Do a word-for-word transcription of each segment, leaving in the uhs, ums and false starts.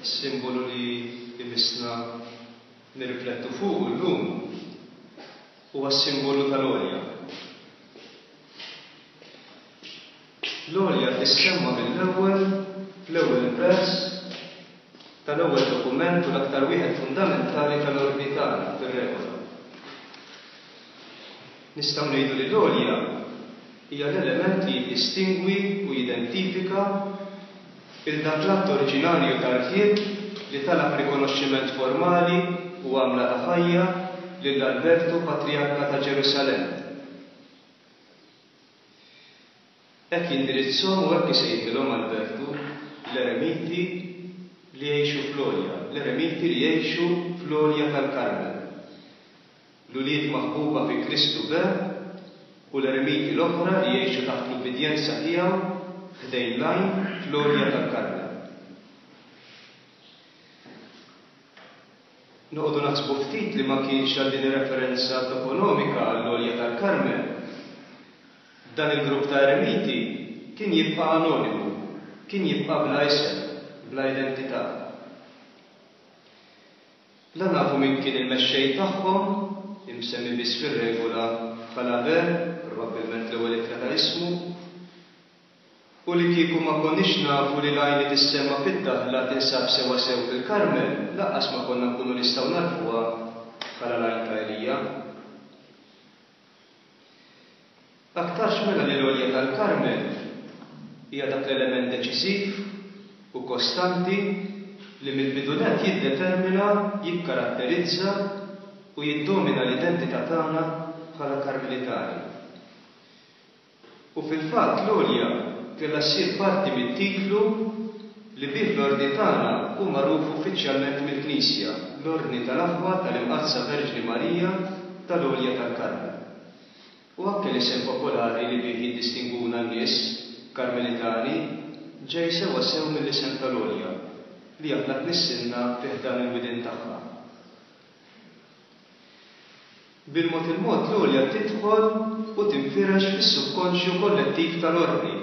Is-simbolu li jmissna nirriflettu fuqu llum huwa s-simbolu tal-għolja. L-għolja tissemma mill-ewwel fl-ewwel vers tal-ewwel dokument u l-aktar wieħed fundamentali tal-ordni tagħna fir-regola. Nistgħu ngħidu li l-għolja hija l-element li jiddistingwi u jidentifika 'l dak l-att oriġinarju ta' rħieb li talab rikonoxximent formali u għamla ta' ħajja lil Albertu Patrijarka ta' Ġerusalemm. Hekk jindirizzhom u hekk isejħilhom Albertu l-eremiti li jgħixu fl-għolja, l-eremiti li jgħixu fl-għolja tal-Karmel. L-ulied maħbuba fi Kristu be u l-eremiti l-oħra li jgħixu taħt l-ubbidjenza tiegħu ħdejn l-għajn fl-għolja tal-Karmel. Noqogħdu naħsbu ftit li ma kienx għal din ir-referenza toponomika għall-għolja tal-Karmel, dan il-grupp ta' eremiti kien jibqa' anonimu, kien jibqa' bla isem, bla identità. La nafu min kien il-mexxej tagħhom, imsemmi biss fir-regola bħala Be, probabbilment l-ewwel ittra ta' ismu, u li kieku ma konniex nafu li l-għajn li tissemma fid-daħla tinsab sewwasew fil-Karmel, lanqas ma konna nkunu nistgħu nagħrfuha bħala l-għajn ta' Elija. Aktarx mela li l-għolja tal-Karmel hija dak l-element deċiżiv u kostanti li mill-bidu nett jiddetermina, jikkaratterizza u jiddomina l-identità tagħna bħala Karmelitani. U fil-fatt l-għolja kellha ssir parti mit-titlu li bih l-Ordni tagħna hu magħruf uffiċjalment mill-Knisja, l-Ordni tal-Aħwa tal-Imqaddsa Verġni Marija tal-Għolja tal-Karmel. U anke l-isem popolari li bih jiddistingwuna n-nies, Karmelitani, ġej sewwasew mill-isem tal-għolja li aħna tnissilna fi ħdan il-widien tagħha. Bil-mod il-mod l-għolja tidħol u tinfirex fis-subkonxju kollettiv tal-Ordni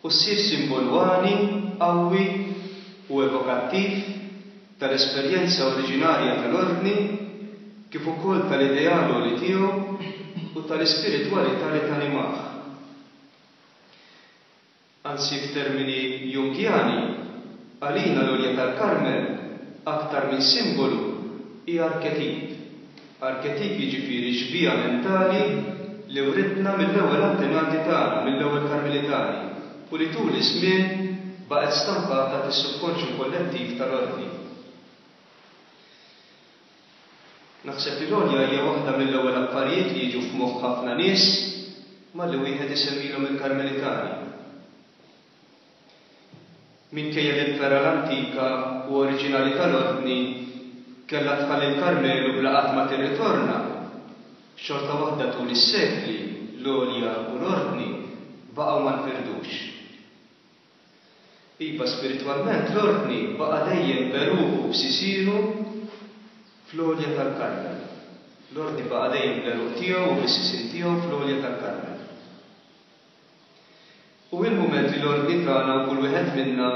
u ssir simbolu għani, qawwi u evokattiv tal-esperjenza oriġinarja tal-Ordni kif ukoll tal-ideal għoli tiegħu u tal-ispiritwalità li tanimah. Anzi f'termini Jungjani, għalina l-għolja tal-Karmel aktar minn simbolu hi arketip. Arketip jiġifieri xbieha mentali li writna mill-ewwel antenati tagħna, mill-ewwel Karmelitani, u li tul iż-żmien baqgħet stampata fis-subkonxju kollettiv tal-Ordni. Naħseb li l-għolja hija waħda mill-ewwel affarijiet li jiġu f'moħħ ħafna nies malli wieħed isemmilhom il-Karmelitani. Minkejja li l-fergħa l-antika u oriġinali tal-Ordni kellha tħalli l-Karmelu bla qatt ma tirritorna, xorta waħda tul is-sekli l-għolja u l-Ordni baqgħu ma nfirdux. Iva, spiritwalment l-Ordni baqa' dejjem b'għeruqu u b'sisienu fl-għolja tal-Karmel. L-Ordni baqa' dejjem bl-għeruq tiegħu u bis-sisien tiegħu fl-għolja tal-Karmel. U il-mument li l-Ordni tagħna u kull wieħed minna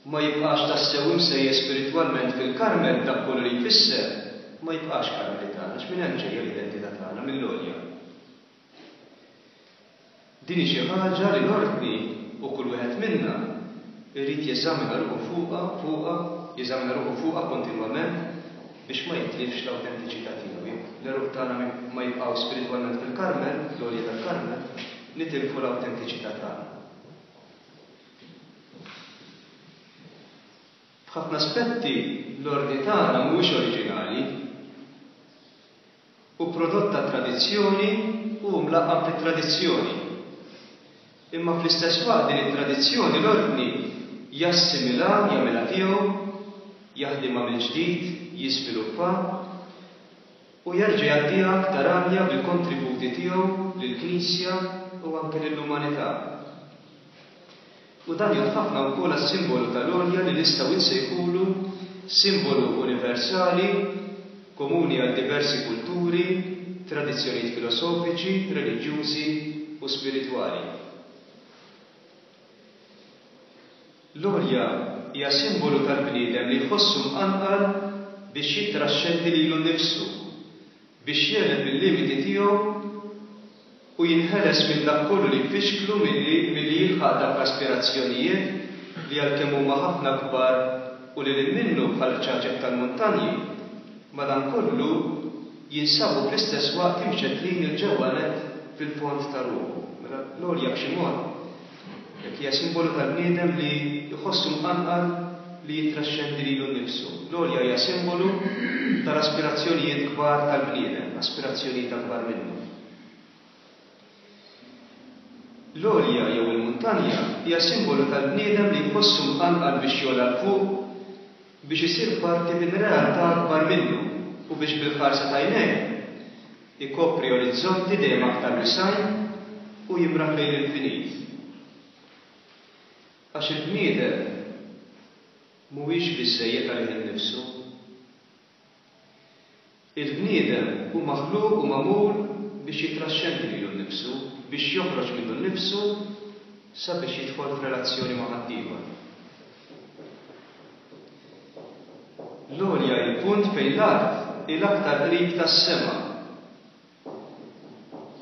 ma jibqax tassew imsejjes spiritwalment fil-Karmel b'dak kollu li jfisser, ma jibqax Karmelitan, għax minn hemm ġejja l-identità tagħna, mill-għolja. Din hi xi ħaġa li l-Ordni u kull wieħed minna jrid jeżamina ruħu fuqha, fuqha, jeżamina ruħu fuqha kontinwament biex ma jitlifx l-awtentiċità tiegħu. Jekk l-għeruq tagħna ma jibqgħux spiritwalment fil-Karmel, fl-għolja tal-Karmel, nitilfu l-awtentiċità tagħna. F'ħafna aspetti l-ordni tagħna mhuwiex oriġinali. Hu prodott tat-tradizzjoni u hu mlaqqam fit-tradizzjoni. Imma fl-istess waqt din it-tradizzjoni l-ordni jassimilha, jagħmilha tiegħu, jaħdimha mill-ġdid, jiżviluppa u jerġa' jgħaddiha aktar għanja bil-kontributi tiegħu lill-Knisja u anke lill-umanità. U dan jgħodd ħafna wkoll għas-simbolu tal-għolja li nistgħu nsejħulu simbolu universali, komuni għal diversi kulturi, tradizzjonijiet filosofiċi, reliġjużi u spiritwali. L-għolja hija simbolu tal-bniedem li jħossu mqanqal biex jittraxxendi lilu nnifsu, biex jegħleb il-limiti tiegħu u jinħeles minn dak kollu li jfixklu milli milli jilħaq dawk l-aspirazzjonijiet li għalkemm huma ħafna akbar u lil hinn minnu bħall-qċaċet tal-muntanji, madankollu jinsabu fl-istess waqt imxettlin 'il ġewwa nett fil-fond ta' ruħu. Mela l-għolja b'xi mod hekk hija simbolu tal-bniedem li jħossu mqanqal li jittraxxendi lilu nnifsu. L-għolja hija simbolu tal-aspirazzjonijiet kbar tal-bniedem, aspirazzjonijiet akbar minnu. L-għolja jew il-muntanja hija simbolu tal-bniedem li jħossu mqanqal biex jogħla 'l fuq, biex isir parti minn realtà akbar minnu u biex bil-ħarsa t'għajnejh ikopri orizzonti dejjem aktar wisgħin u jimraħ lejn l-infinit. Għax il-bniedem mhuwiex biżżejjed għalih innifsu. Il-bniedem hu maħluq u magħmul biex jittraxxendi lilu nnifsu, biex joħroġ minnu nnifsu sabiex jidħol f'relazzjoni ma' ħaddieħor. L-għolja hi l-punt fejn l-art hi l-aktar qrib tas-sema.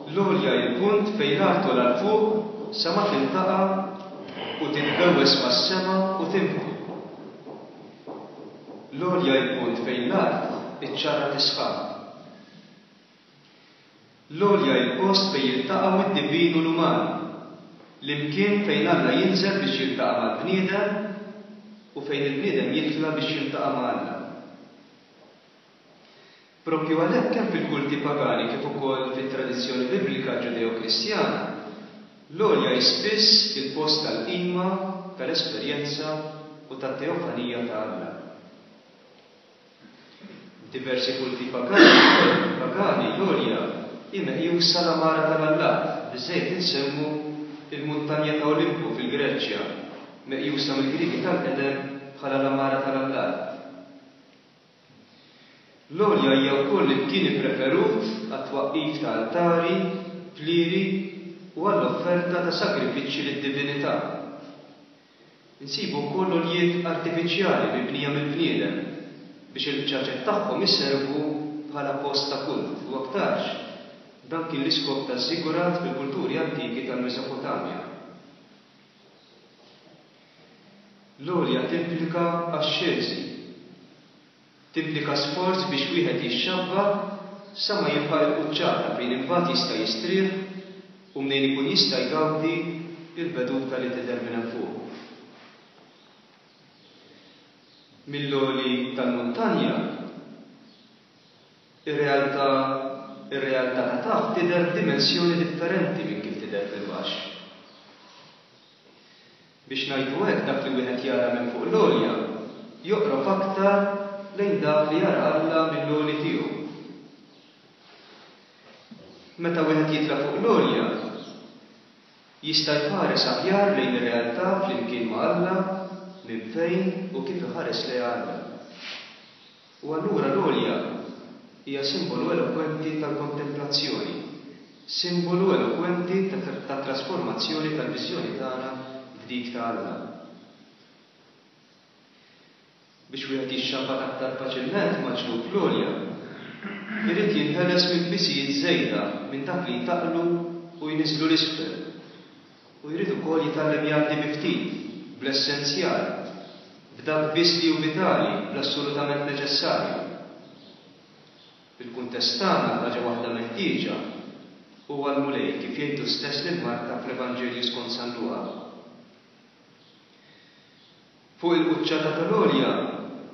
L-għolja hi l-punt fejn l-art togħla 'l fuq sa ma tiltaqa' u titbewwes mas-sema u tinfħu. L-għolja hi l-punt fejn l-art iċċarrat is-sħab. L-għolja hi l-post fejn jiltaqgħu d-divin u l-uman, l-imkien fejn Alla jinżel biex jiltaqa' mal-bniedem u fejn il-bniedem jitla' biex jiltaqa' ma' Alla. Proprju għalhekk kemm fil-kulti pagani kif ukoll fit-tradizzjoni biblika Ġudeo-Kristjana, l-għolja hi spiss il-post tal-qima, tal-esperjenza u tat-teofanija ta' Alla. F'diversi kulti pagani pagani l-għolja hi meqjusa l-għamara tal-allat, biżżejjed insemmu l-muntanja ta' Olimpu fil-Greċja, meqjusa mill-Griegi tal-qedem bħala l-għamara tal-allat. L-għolja hija wkoll l-imkien ippreferut għat-twaqqif ta' altari, plieri u għall-offerta ta' sagrifiċċji lid-divinità. Insibu wkoll għoljiet artifiċjali mibnija mill-bniedem biex il-qċaċet tagħhom iservu bħala post ta' kult u aktarx dan kien l-iskop taż-żiggurat fil-kulturi antiki tal-Mesopotamja. L-għolja timplika axxeżi. Timplika sforz biex wieħed jixxabba sa ma jilħaq il-quċċata fejn imbagħad jista' jistrieħ u mnejn ikun jista' jgawdi l-veduta li tidher minn hemm fuq. Mill-għoli tal-muntanja, ir-realtà ir-realtà ta' taħt tidher f'dimensjoni differenti minn kif tidher fil-baxx. Biex ngħidu hekk dak li wieħed jara minn fuq l-għolja joqrob aktar lejn dak li jara Alla mill-għoli tiegħu. Meta wieħed jitla' fuq l-għolja, jista' jħares aħjar lejn ir-realtà flimkien ma' Alla minn fejn u kif iħares lejha Alla. U allura l-għolja hija simbolu elokwenti tal-kontemplazzjoni, simbolu elokwenti tat-trasformazzjoni tal-viżjoni tagħna f'dik ta' Alla. Biex wieħed jixxabbat aktar faċilment ma' ġnub l-għolja, irid jinħeles minn pisijiet żejda, minn dak li jtaqqlu u jniżżlu 'l isfel. U jrid ukoll jitgħallem jgħaddi bi ftit, bl-essenzjal, b'dak biss li hu vitali, bl-assolutament neċessarju. Fil-kuntest tagħna l-ħaġa waħda meħtieġa huwa l-Mulej, kif jgħid hu stess lil Marta fl-Evanġelju skont San Luqa. Fuq il-quċċata tal-għolja,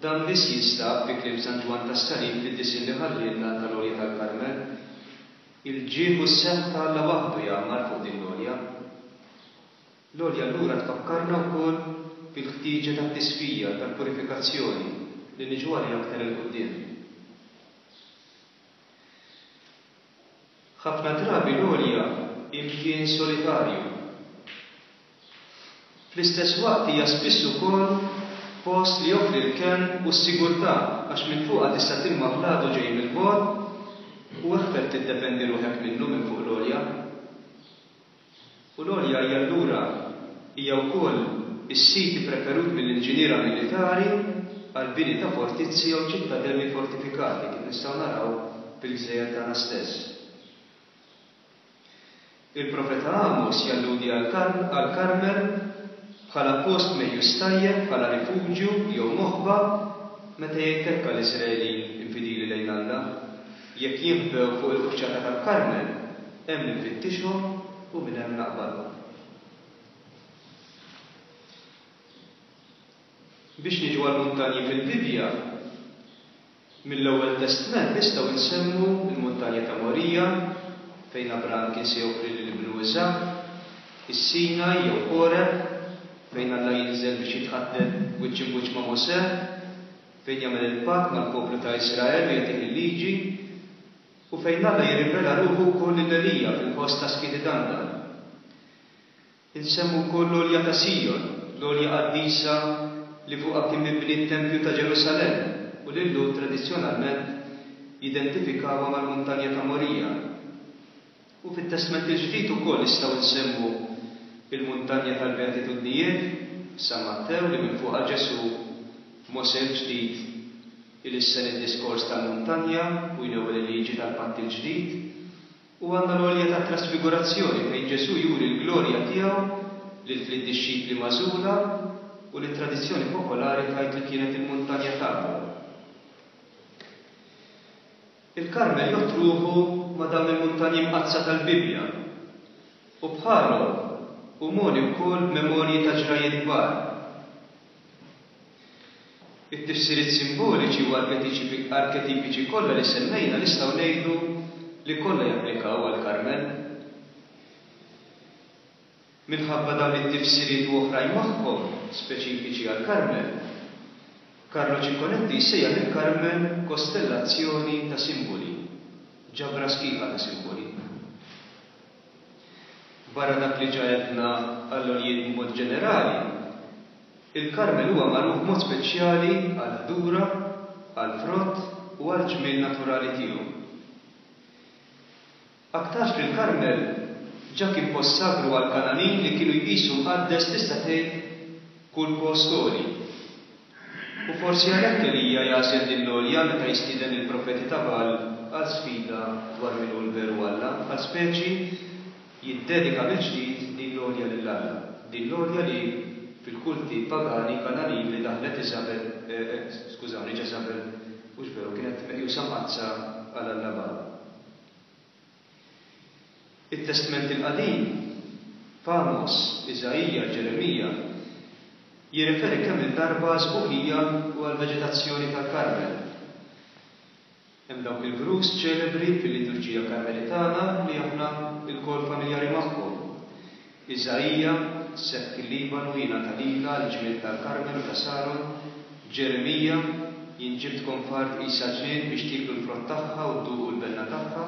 dan biss jinstab, fi kliem San Ġwann tas-Salib fid-disinn li ħallielna tal-Għolja tal-Karmel. Il-ġieħ u s-sebħ ta' Alla waħdu jgħammar fuq din l-għolja. L-għolja allura tfakkarna wkoll fil-ħtieġa tat-tisfija, tal-purifikazzjoni, li niġu għaliha aktar 'il quddiem. Ħafna drabi l-għolja hi mkien solitarju. Fl-istess waqt hija spiss ukoll post li joffri l-kenn u s-sigurtà għax minn fuqha tista' tilmaħ l-għadu ġej mill-bogħod u eħfef tiddefendi ruħek minnu minn fuq l-għolja. U l-għolja hija allura hija wkoll is-sit ippreferut mill-inġiniera militari għall-bini ta' fortizzi jew ċittadelli fortifikati, kif nistgħu naraw fil-gżejjer tagħna stess. Il-profeta Amos jalludi għall-Karmel bħala post meqjus tajjeb bħala rifuġju jew moħba meta jgħid hekk għall-Iżraelin infidili lejn Alla, Jekk jinħbew fuq il-quċċata tal-Karmel, hemm infittixhom u minn hemm naqbadhom. Biex niġu għall-muntanji fil-Bibbja, mill-Ewwel Testment nistgħu nsemmu l-muntanja ta' Morija, fejn Abraham kien se joffri lil ibnu Iżakk, is-Sinaj jew Ħoreb, fejn Alla jinżel biex jitħaddet wiċċ imb'wiċċ ma' Mosè, fejn jagħmel il-patt mal-poplu ta' Iżrael u jagħtih il-Liġi, u fejn Alla jirrivela ruħu wkoll lil Elija fil-ħoss ta' skiet idandan. Insemmu wkoll l-għolja ta' Sijon, l-għolja qaddisa li fuqha kien mibni t-tempju ta' Ġerusalemm u li l-Lhud tradizzjonalment jidentifikawha mal-muntanja ta' Morija. U fit-Testment il-Ġdid ukoll nistgħu nsemmu l-muntanja tal-Beatitudnijiet, f'San Mattew, li minn fuqha Ġesù, Mosè l-ġdid, ilissen id-diskors tal-muntanja u jnewwel il-liġi tal-Patt il-Ġdid. U għandna l-għolja tat-Trasfigurazzjoni fejn Ġesù juri l-glorja tiegħu lil tliet dixxipli magħżula u li t-tradizzjoni popolari tgħid li kienet il-muntanja Tabor. Il-Karmel jgħodd ruħu ma' dawn il-muntanji mqaddsa tal-Bibbja u bħalhom hu mogħni wkoll b'memorji ta' ġrajjiet kbar. It-tifsiriet simboliċi u arketipiċi kollha li semmejna nistgħu ngħidu li kollha japplikaw għall-Karmel. Minħabba dawn it-tifsiriet u oħrajn magħhom speċifiċi għall-Karmel, Carlo Cicconetti jsejjaħ il-Karmel kostellazzjoni ta' simboli, ġabra sħiħa ta' simboli. Barra dak li ġa għedna għall-għoljiet b'mod ġenerali, il-Karmel huwa magħruf b'mod speċjali għall-ħdura, għall-frott u għall-ġmiel naturali tiegħu. Aktarx li l-Karmel ġa kien post sagru għall-Kangħanin li kienu jqisu mqaddes tista' tgħid kull post għoli. U forsi għalhekk Elija jagħżel din l-għolja meta jistieden lill-profeti ta' Bagħal għal sfida dwar min hu l-veru Alla, bħal speċi jiddedika mill-ġdid din l-għolja lil Alla, din l-għolja li fil-kulti pagani Kangħanin li daħlet Iżabel, skużawni, Ġeżabel, hux veru, kienet meqjusa mqaddsa għal alla Bagħal. It-Testment il-Qadim, f'Għamos, Iżaija, Ġeremija, jirreferi kemm-il darba għas-sbuħija u għall-veġetazzjoni tal-Karmel. Hemm dawk il-vrus ċelebri fil-liturġija Karmelitana li aħna lkoll familjari magħhom. Iżaija, Sebk il-Libanu jingħata lilha għall-ġmiel tal-Karmel u ta' Saron, Ġeremija, Jien ġibtkom f'art qisha ġnien biex tieklu l-frott tagħha u dduqu l-benna tagħha.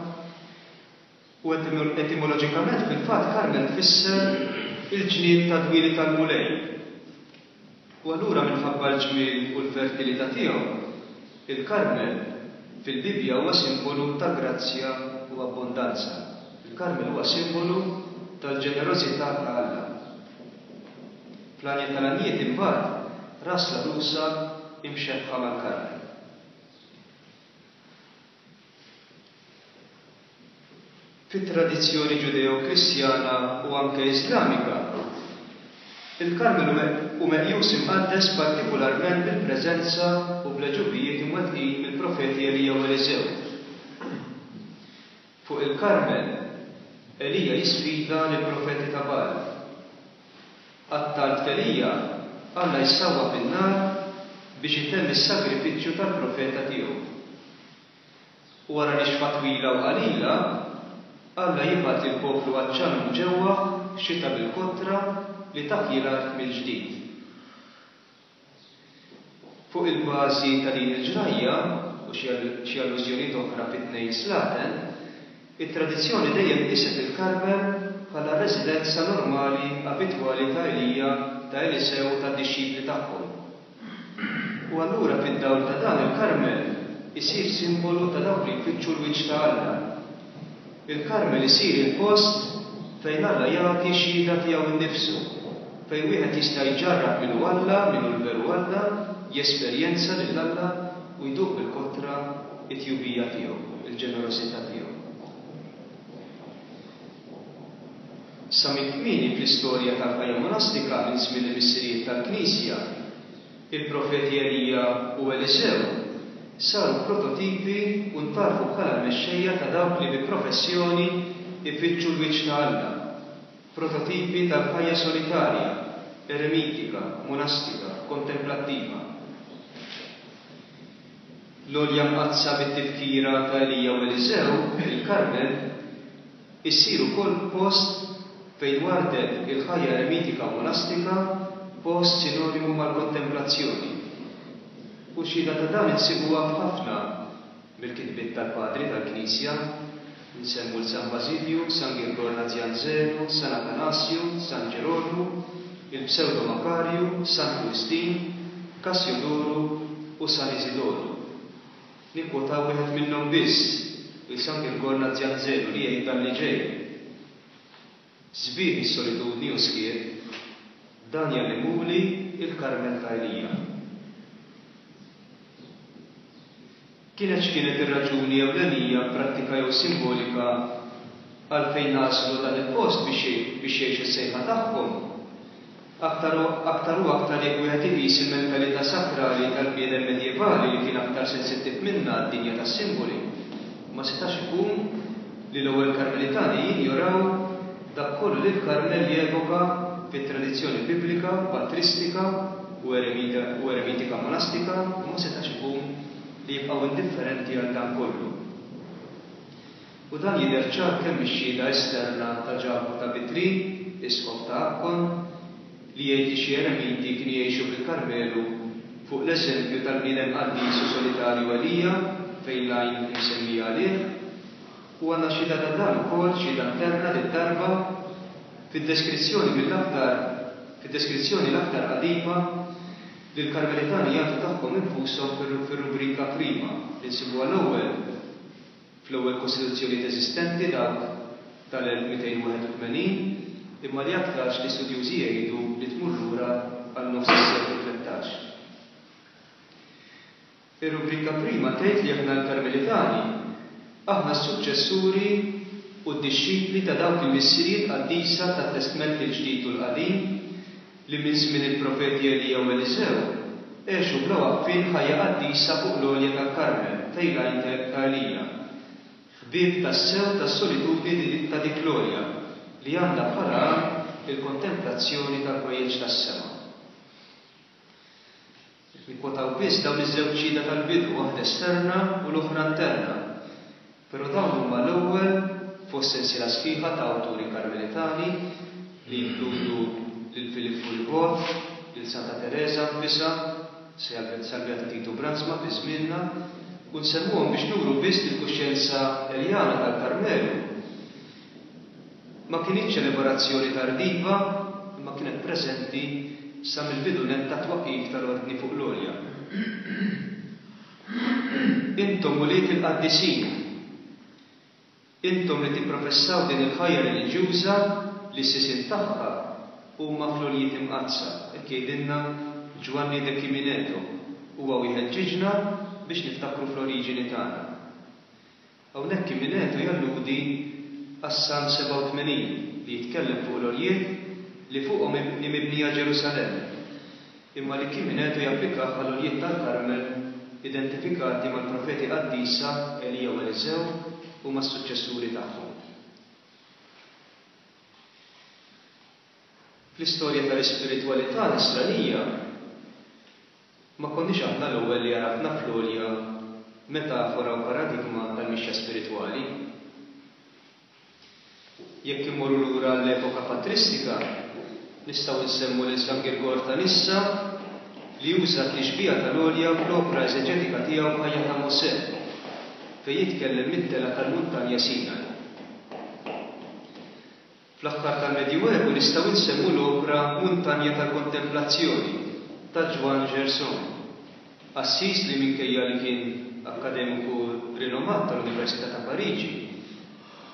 U etimoloġikament fil-fatt Karmel tfisser il-ġnien tad-dwieli tal-Mulej. U allura minħabba l-ġmiel u l-fertilità tiegħu, il-Karmel fil-Bibbja huwa simbolu ta' grazzja u abbondanza. Il-Karmel huwa simbolu tal-ġenerożità ta' Alla. Fl-Għanja tal-Għanjiet imbagħad, ras l-għarusa imxebbħa mal-Karmel. Fit-tradizzjoni Ġudeo-Kristjana u anke Iżlamika, il-Karmel hu meqjus imqaddes partikularment bil-preżenza u bl-għeġubijiet imwettqin mill-profeti Elija u Eliżew. Fuq il-Karmel, Elija jisfida lill-profeti ta' Bagħal. Għat-talb t'Elija, Alla jsawwab in-nar biex itemm is-sagrifiċċju tal-profeta tiegħu. U wara nixfa twila u qalila, Alla jibgħat lill-poplu għatxan u mġewwaħ xita bil-kotra li taħji l-art mill-ġdid. Fuq il-bażi ta' din il-ġrajja u xi allużjonijiet oħra fit-Tnejn Slaten, it-tradizzjoni dejjem qieset il-Karmel bħala r-residenza normali abitwali ta' Elija, ta' Elisew u tad-dixxipli tagħhom. U allura fid-dawl ta' dan il-Karmel isir simbolu ta' dawk li jfittxu l-wiċċ ta' Alla. Il-Karmel isir il-post fejn Alla jagħti xhieda tiegħu nnifsu. fejn wieħed jista' jġarrab min hu Alla, min hu l-veru Alla, jesperjenza lil Alla u jduq bil-kotra it-tjubija tiegħu, il-ġenerożità tiegħu. Sa minn kmieni fl-istorja tal-ħajja monastika minn żmien il-missirijiet tal-Knisja, il-profeti Elija u Eliżew saru prototipi u ntgħarfu bħala l-mexxejja ta' dawk li bi professjoni jfittxu l-wiċċ ta' Alla, prototipi tal-ħajja solitarja, eremitika, monastika, kontemplattiva. L-għolja mqaddsa bit-tifkira ta' Elija u Eliżew, il-Karmel, issir ukoll post fejn wardet il-ħajja eremitika u monastika, post sinonimu mal-kontemplazzjoni. U xhieda ta' dan insibuha f'ħafna mill-kitbiet tal-Padri tal-Knisja, nsemmu 'l San Bażilju, San Girgor Nazianzenu, San Atanasju, San Ġerolmu, il-Psewdo Makarju, Santu Wistin, Kassjodoru u San Iżidoru. Nikkwotaw wieħed minnhom biss, 'il San Girgor Nazianzenu li jgħid dan li ġej, Sbieħ is-solitudni u skiet, dan jgħallimhuli l-Karmel ta' Elija. Kienet x'kienet ir-raġuni ewlenija, prattika jew simbolika, għalfejn għażlu dan il-post biex biex jgħixu s-sejħa tagħhom, aktar u aktar u aktar jekk wieħed iqis il-mentalità sakrali tal-bniedem medjevali li kien aktar sensittiv minna għad-dinja tas-simboli, ma setax ikun li l-ewwel Karmelitani jinjoraw dak kollu li l-Karmel jevoka fit-tradizzjoni biblika, patristika u eremitika monastika u ma setax ikun li jibqgħu indifferenti għal dan kollu. U dan jidher ċar kemm mix-xhieda esterna ta' Ġakbu ta' Vitry, isqof ta' Akkon, li jgħid li xi eremiti kienu jgħixu fil-Karmelu fuq l-eżempju tal-bniedem qaddis u solitarju Elija, fejn l-għajn imsemmija għalih. U għandna xhieda ta' dan ukoll, xhieda interna did-darba, fid-deskrizzjoni mill-aktar fid-deskrizzjoni l-aktar qadima li l-Karmelitani jagħtu tagħhom infushom fir-rubrika Prima, li nsibuha l-ewwel fl-ewwel kostituzzjonijiet eżistenti, dawk tal-elf mitejn u wieħed u tmenin, imma li aktarx l-istudjużi jgħidu li tmur lura għal nofs is-seklu tlettax. Ir-rubrika Prima tgħid li aħna l-Karmelitani, aħna s-suċċessuri u d-dixxipli ta' dawk il-missirijiet qaddisa tat-Testment il-Ġdid u l-Qadim li minn żmien il-profeti Elija u Eliżew għexu bla waqfien ħajja qaddisa fuq l-għolja tal-Karmel, fejn l-għajn ta' Elija. Ħbieb tassew tas-solitudni ta' dik l-għolja li għandha bħala għan il-kontemplazzjoni tal-ħwejjeġ tas-sema. Qed nikkwotaw biss dawn iż-żewġ xhieda tal-bidu, waħda esterna u l-oħra interna. Però dawn huma l-ewwel fost sensiela sħiħa ta' awturi Karmelitani li jinkludu lil Filippu Ribot, lil Santa Tereża nfisha, sal-Beatu Titu Brandsma fi żmienna, u nsemmuhom biex nuru biss li l-kuxjenza Eljana tal-Karmelu ma kinitx elaborazzjoni tardiva imma kienet preżenti sa mill-bidu nett tat-twaqqif tal-Ordni fuq l-Għolja. Intom ulied il-qaddisin, intom li tipprofessaw din il-ħajja reliġjuża li s-sisien tagħha huma fl-għoljiet imqaddsa, hekk jgħidilna Ġwanni de Chimineto, huwa u jħeġġiġna biex niftakru fl-oriġini tagħna. Hawnhekk Chimineto jalludi għas-Salm sebgħa u tmenin li jitkellem fuq l-għoljiet li fuqhom hi mibnija Ġerusalemm, imma li Chimineto japplikah għall-għoljiet tal-Karmel identifikati mal-profeti qaddisa Elija u Eliżew u mas-suċċessuri tagħhom. Fl-istorja tal-ispiritwalità nisranija, ma konniex aħna l-ewwel li għarafna fl-għolja metafora u paradigma tal-mixja spiritwali. Jekk immorru lura għall-epoka patristika, nistgħu nsemmu lil San Girgor ta' Nissa li uża t-tixbiha tal-għolja fl-opra eżeġetika tiegħu Ħajja ta' Mosè, fejn jitkellem mit-telgħa tal-muntanja Sinaj. Fl-aħħar tal-Medjuevu nistgħu nsemmu l-opra Muntanja tal-Kontemplazzjoni ta' Ġwann Gerson, qassis li minkejja li kien akkademiku rinomat tal-Università ta' Pariġi,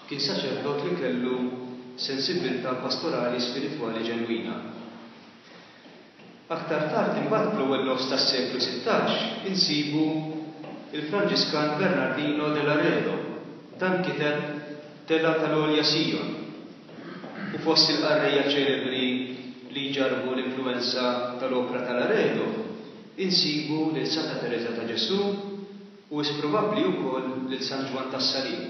kien saċerdot li kellu sensibbiltà pastorali spiritwali ġenwina. Aktar tard imbagħad fl-ewwel nofs tas-seklu sittax insibu il-Franġiskan Bernardino de Laredo. Dan kiteb Tela tal-Għolja Sion. U fost il-qarrejja ċelebri li jġarrbu l-influwenza tal-opra ta' Laredo, insibu lil Santa Tereża ta' Ġesù u wisq probabbli wkoll lil San Ġwann tas-Salib.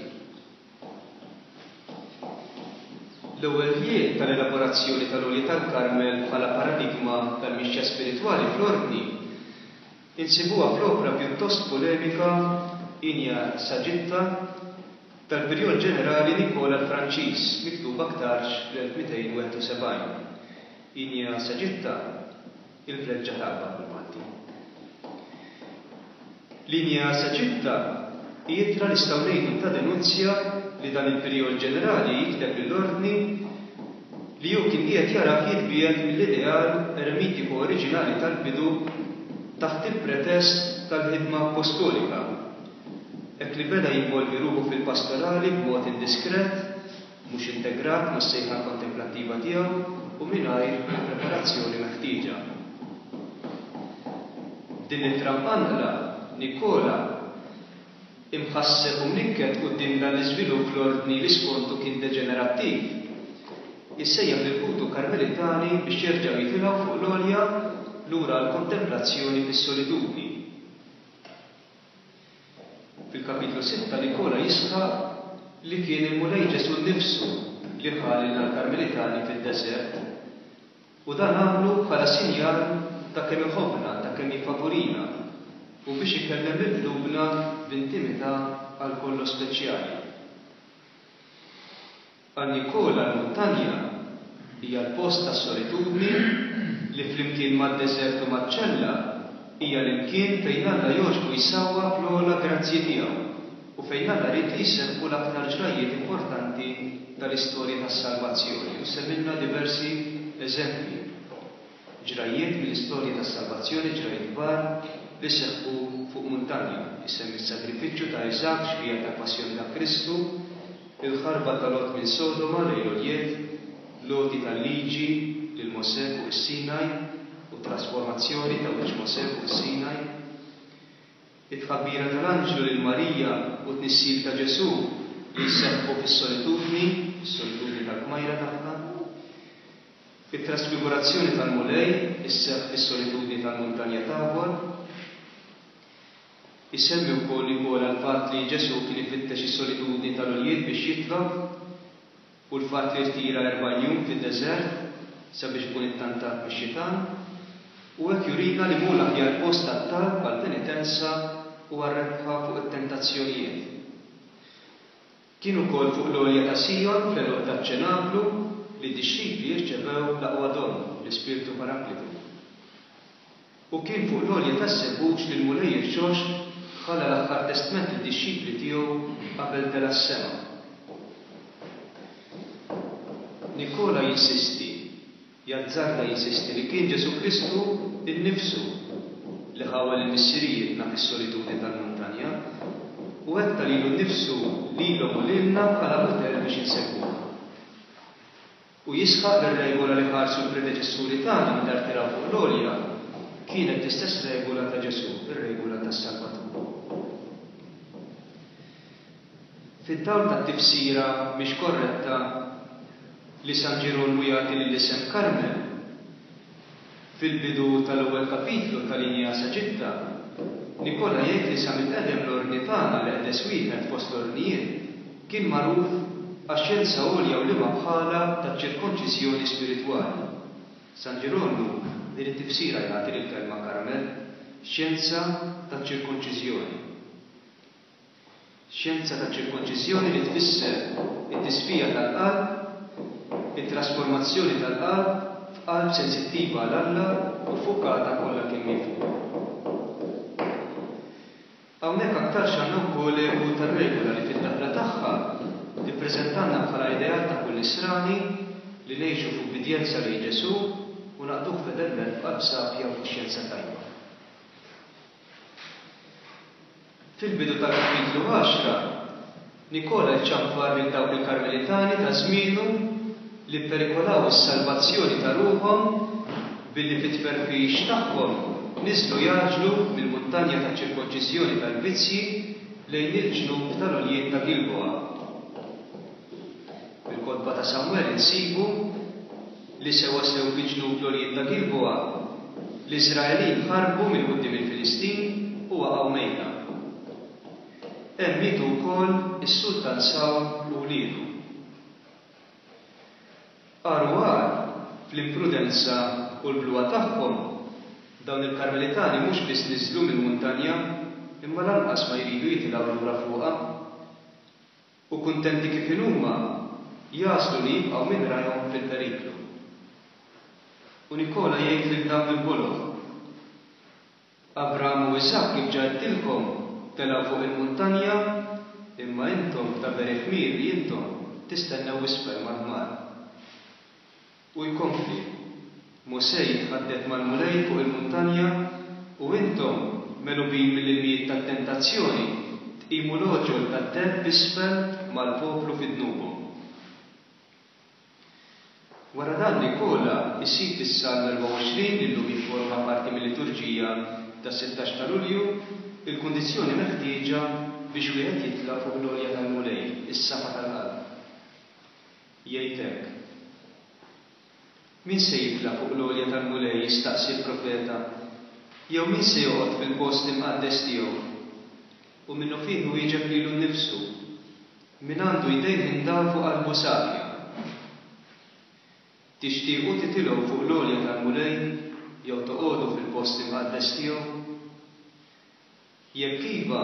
L-ewwel ħjiel tal-elaborazzjoni tal-Għolja tal-Karmel bħala paradigma tal-mixja spiritwali fl-Ordni insibuha fl-opra pjuttost polemika Inia Sagitta tal-Pirjol Ġenerali Nikola l-Franċiż, miktuba aktarx fl-elf mitejn wieħed u sebgħin. Inia Sagitta, il-vleġġa taqbad bil-Malti. L-Inia Sagitta hi ittra nistgħu ngħidu ta' denunzja li dan il-Pirjol Ġenerali jikteb lill-Ordni li hu kien qiegħed jarah jitbiegħed mill-ideal eremitiku oriġinali tal-bidu taħt il-pretest tal-ħidma appostolika, hekk li beda jinvolvi ruħu fil-pastorali b'mod indiskret, mhux integrat mas-sejħa kontemplattiva tiegħu u mingħajr il-preparazzjoni meħtieġa. B'din l-ittra mqanqla, Nikola, imħasseb u mnikket quddiem dan l-iżvilupp fl-Ordni li skontu kien deġenerattiv, issejjaħ lil ħutu Karmelitani biex jerġgħu jitilgħu fuq l-għolja lura għall-kontemplazzjoni fis-solitudni. Fil-kapitlu sitta Nikola jisħaq li kien il-Mulej Ġesù nnifsu li ħa lilna l-Karmelitani fid-deżert, u dan għamlu bħala sinjal ta' kemm iħobbna, ta' kemm jiffavurina, u biex ikellem lil qlubna b'intimità għal kollox speċjali. Għal Nikola l-muntanja hija l-post tas-solitudni li flimkien mad-deżert u maċ-ċella hija l-imkien fejn Alla jogħġbu jsawwab l-ogħla grazzji tiegħu u fejn Alla ried li jseħħu l-aktar ġrajjiet importanti tal-istorja tas-salvazzjoni, u semmilna diversi eżempji, ġrajjiet mill-istorja tas-salvazzjoni, ġrajjiet kbar li seħħu fuq muntanja. Isemmi s-sagrifiċċju ta' Iżakk, xbieha tal-passjoni ta' Kristu, il-ħarba ta' Lot minn Sodoma lejn l-għoljiet, l-għoti tal-liġi lil Mosè fuq is-Sinaj u t-trasformazzjoni ta' wiċċ Mosè fuq is-Sinaj, it-tħabbira tal-anġlu lil Marija u t-tnissil ta' Ġesù li jseħħu fis-solitudni, fis-solitudni tal-kmajra tagħha, it-trasfigurazzjoni tal-Mulej isseħħ fis-solitudni tal-muntanja Tabor. Isemmi wkoll Nikola l-fatt li Ġesù kien ifittex is-solitudni tal-għoljiet biex jitlob u l-fatt li rtira erbgħin jum fid-deżert sabiex ikun ittantat mix-xitan, u hekk jurina li mhu l-aħjar post għat-talb, għall-penitenza u għar-rebħa fuq it-tentazzjonijiet. Kien ukoll fuq l-għolja ta' Sijon, fl-għeluq taċ-ċenaklu, li d-dixxipli rċevew l-aqwa don, l-Ispirtu Paraklitu. U kien fuq l-għolja taż-Żebbuġ li l-Mulej irxoxt ħalla l-aħħar testment lid-dixxipli tiegħu qabel tela' s-sema. Nikola jinsisti, jazzarda jinsisti li kien Ġesù Kristu nnifsu li ħawwel lil missirijietna fis-solitudni tal-muntanja u hekk ta lilu nnifsu lilhom u lilna bħala mudell biex insegwuh. U jisħaq li r-regola li ħarsu l-predeċessuri tagħna meta rtiraw fuq l-għolja kienet l-istess regola ta' Ġesù, ir-regola tas-Salvatur. Fid-dawl tat-tifsira mhix korretta li San Ġirolmu jagħti lill-isem Karmel, fil-bidu tal-ewwel kapitlu tal-Inia Sagitta, Nikola jgħid li sa mill-qedem l-ordni tagħna, l-eqdes wieħed fost l-ordnijiet, kien magħruf għax-xjenza għolja u liema bħalha taċ-ċirkonċiżjoni spiritwali. San Ġirolmu din it-tifsira jagħti lill-kelma Karmel, xjenza taċ-ċirkonċiżjoni. Xjenza taċ-ċirkonċiżjoni li tfisser it-tisfija tal-qalb, it-trasformazzjoni tal-qalb f'qalb sensittiva għal Alla u ffukata kollha kemm hi fuqu. Hawnhekk aktarx għandna wkoll eku tar-regola li fid-daħla tagħha tippreżentalna bħala ideal ta' kull Nisrani li ngħixu f'ubbidjenza lejn Ġesù u naqduh fedelment b'qalb safja u kuxjenza tajba. Fil-bidu tal-kapitlu għaxra, Nikola jċanfar lil dawk il-Karmelitani ta' żmienu li pperikolaw is-salvazzjoni ta' ruħhom billi fit-tferfix tagħhom niżlu jgħaġġlu mill-muntanja taċ-ċirkonċiżjoni tal-vizzji lejn il-ġnub tal-għoljiet ta' Gilboa. Fil-kotba ta' Samwel insibu li sewwasew fi ġnub l-għoljiet ta' Gilboa, l-Iżraelin ħarbu minn quddiem il-Filistin u waqgħu mejta. Hemm mietu wkoll is-sultan Sawl u wliedu. Agħar u agħar, fl-imprudenza u l-bluha tagħhom, dawn il-Karmelitani mhux biss niżlu mill-muntanja, imma lanqas ma jridu jitilgħu lura fuqha. U kuntenti kif inhuma, jagħżlu li jibqgħu minn rajhom fil-periklu. U Nikola jgħid lil dawn il-boloh, Abram u Iżakk kif ġa għedtilkom telgħu fuq il-muntanja, imma intom ta' veri ħmir li intom tistennew isfel mal-ħmar. U jkompli, Mosè jitħaddet mal-Mulej fuq il-muntanja u intom, megħlubin mill-ilmijiet tat-tentazzjoni, tqimu l-għoġol tad-deheb isfel mal-poplu fi dnubhom. Wara dan Nikola jsib fis-Salm erbgħa u għoxrin, li llum jifforma parti mil-liturġija tas-sittax ta' Lulju, il-kundizzjoni meħtieġa biex wieħed jitla' fuq l-għolja tal-Mulej, is-safa tal-qalb. Jgħid hekk, Min se jitla' fuq l-għolja tal-Mulej, jistaqsi l-profeta, jew min se joqgħod fil-post imqaddes tiegħu? U minnufih iwieġeb lilu nnifsu, Min għandu jdejh indaf u qalbu safja. Tixtiequ titilgħu fuq l-għolja tal-Mulej jew toqogħdu fil-post imqaddes tiegħu? Jekk iva,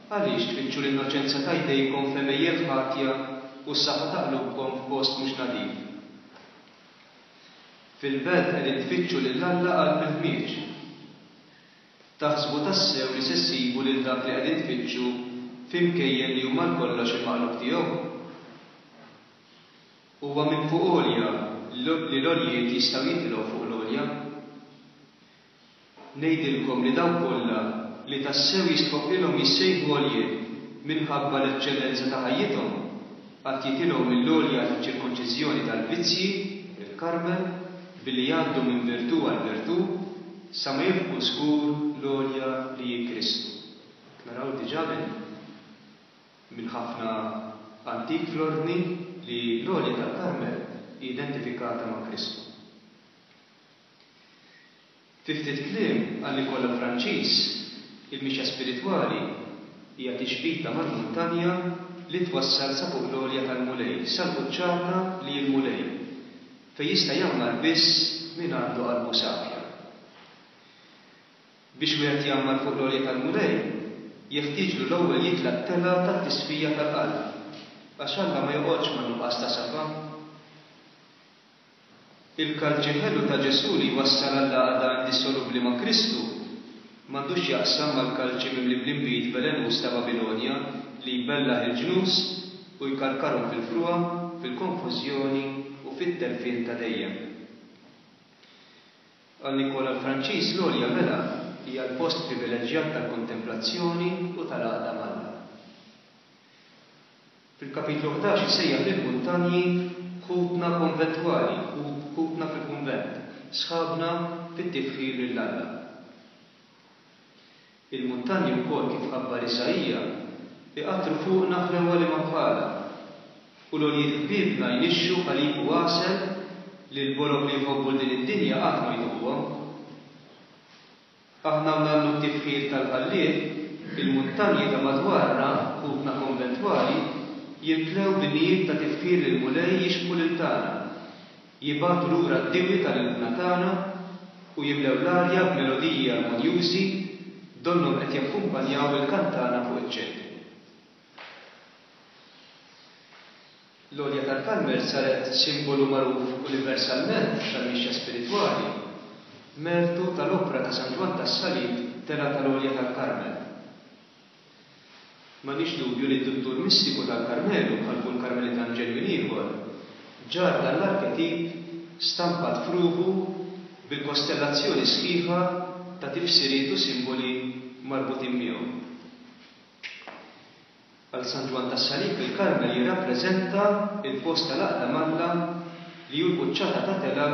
għaliex tfittxu l-innoċenza ta' jdejkom f'għemejjel ħatja u s-safa ta' qlubkom f'post mhux nadif? Fil-belt qegħdin tfittxu lil Alla qalb il-ħmieġ. Taħsbu tassew li se ssibu lil dak li qegħdin tfittxu fi mkejjen li huma għalkollox il-maqlub tiegħu? Huwa minn fuq għolja li l-għoljiet jistgħu jitilgħu fuq l-għolja. Ngħidilkom li dawk kollha li tassew jistħoqqilhom jissejħu għoljiet minħabba l-eċċellenza ta' ħajjithom, għad jitilgħu mill-għolja taċ-ċirkonċiżjoni tal-vizzji, il-Karmel, billi jgħaddu minn virtù għal virtù, sa ma jilħqu żgur l-għolja li hi Kristu. Naraw diġà minn minn ħafna antik fl-ordni li l-għolja tal-Karmel hi identifikata ma' Kristu. Fi ftit kliem, għal Nikola Franċiż, il-mixja spiritwali hija tixbita mal-muntanja li twassal sa fuq l-għolja tal-Mulej, sal-quċċata li hi l-Mulej, fejn jista' jgħammar biss min għandu qalbu safja. Biex wieħed jgħammar fuq l-għolja tal-Mulej, jeħtieġlu l-ewwel jitla' t-telgħa tat-tisfija tal-qalb, għax Alla ma joqgħodx man-nuqqas ta' safa. Il-kalċi ħelu ta' Ġesù li jwassal għall-għaqda indissolubbli ma' Kristu m'għandux x'jaqsam mal-kalċi mimli bl-inbid velenuż ta' Babilonja li jbellaħ il-ġnus u jkarkarhom fil-frugħa, fil-konfużjoni u fit-telfien ta' dejjem. Għal Nikola l-Franċiż l-għolja mela hija l-post privileġġjat tal-kontemplazzjoni u tal-għaqda m'Alla. Fil-kapitlu ħdax isejjaħ lill-muntanji ħutna konventwali, ħutna fil-kunvent, sħabna fit-tifħir lil Alla. Il-muntanji wkoll kif ħabbar Isaija, iqattru fuqna ħlewwa li ma bħalha, u l-għoljiet ħbiebna jnixxu ħalib u għasel li l-boloh li jħobbu 'l din id-dinja qatt ma jduquhom. Aħna u ngħannu t-tifħir tal-Ħallieq, il-muntanji ta' madwarna, ħutna konventwali, jimtlew b'innijiet ta' tifħir lill-Mulej jixbħu lil tagħna, jibagħtu lura d-diwi tal-ilħna tagħna u jimlew l-arja b'melodiji armonjużi donnhom qed jakkumpanjaw il-kantana fuq iċ-ċentru. L-għolja tal-Karmel saret simbolu magħruf universalment tal-mixja spiritwali, mertu tal-opra ta' San Ġwann tas-Salib Telgħa tal-Għolja tal-Karmel. M'għandniex dubju li d-duttur mistiku tal-Karmelu, bħal kull Karmelitan ġenwin ieħor, ġarr dan l-arketip stampat f'ruħu bil-kostellazzjoni sħiħa ta' tifsiriet u simboli marbutin miegħu. Għal San Ġwann tas-Salib il-Karmel jirrappreżenta l-post tal-għaqda m'Alla li hu l-quċċata ta' telgħa